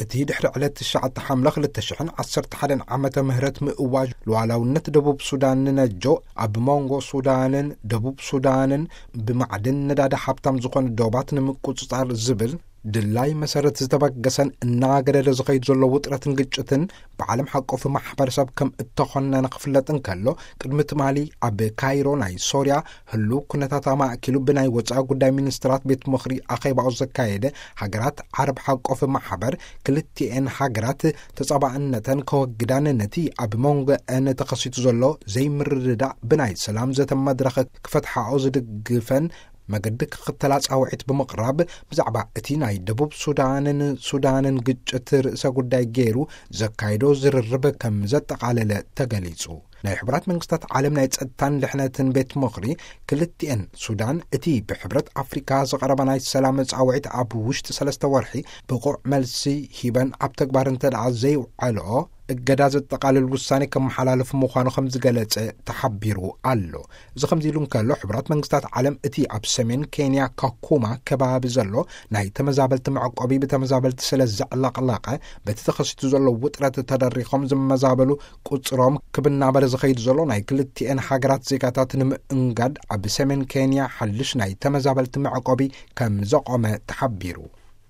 እቲ ድሕሪ ዕለት ትሽዓተ ሓምለ ክልተ ሽሕን ዓሰርተ ሓደን ዓመተ ምህረት ምእዋጅ ሉዓላውነት ደቡብ ሱዳን ንነጆ፣ ኣብ መንጎ ሱዳንን ደቡብ ሱዳንን ብማዕድን ነዳዲ ሃብታም ዝኾነ ዶባት ንምቁጽጻር ዝብል ድላይ መሰረት ዝተበገሰን እናገደደ ዝኸይድ ዘሎ ውጥረትን ግጭትን ብዓለም ሓቆፍ ማሕበረሰብ ከም እተኾነነ ክፍለጥ እንከሎ፣ ቅድሚ ትማሊ ኣብ ካይሮ ናይ ሶርያ ህሉው ኩነታት ኣማእኪሉ ብናይ ወጻኢ ጉዳይ ሚኒስትራት ቤት ምኽሪ ኣኼባኡ ዘካየደ ሃገራት ዓረብ ሓቆፍ ማሕበር፣ ክልቲኤን ሃገራት ተጻባእነተን ከወግዳን ነቲ ኣብ መንጎአን ተኸሲቱ ዘሎ ዘይምርድዳእ ብናይ ሰላም ዘተ መድረኽ ክፈትሓኦ ዝድግፈን መገዲ ክኽተላ ጻውዒት ብምቕራብ፣ ብዛዕባ እቲ ናይ ደቡብ ሱዳንን ሱዳንን ግጭት ርእሰ ጉዳይ ገይሩ ዘካይዶ ዝርርብ ከም ዘጠቓለለ ተገሊጹ። ናይ ሕቡራት መንግስታት ዓለም ናይ ጸጥታን ድሕነትን ቤት ምኽሪ፣ ክልቲኤን ሱዳን እቲ ብሕብረት ኣፍሪካ ዝቐረበ ናይ ሰላም ጻውዒት ኣብ ውሽጢ ሰለስተ ወርሒ ብቑዕ መልሲ ሂበን ኣብ ተግባር እንተ ደኣ ዘይውዓልኦ፣ እገዳ ዘጠቓልል ውሳኔ ከመሓላልፍ ምዃኑ ከም ዝገለጸ ተሓቢሩ ኣሎ። እዚ ከምዚ ኢሉ እንከሎ፣ ሕቡራት መንግስታት ዓለም እቲ ኣብ ሰሜን ኬንያ ካኩማ ከባቢ ዘሎ ናይ ተመዛበልቲ መዕቆቢ ብተመዛበልቲ ስለ ዘዕለቕለቐ፣ በቲ ተኸሲቱ ዘሎ ውጥረት ተደሪኾም ዝመዛበሉ ቁጽሮም ክብናበረ ዝኸይድ ዘሎ ናይ ክልቲኤን ሃገራት ዜጋታት ንምእንጋድ ኣብ ሰሜን ኬንያ ሓድሽ ናይ ተመዛበልቲ መዕቆቢ ከም ዘቖመ ተሓቢሩ።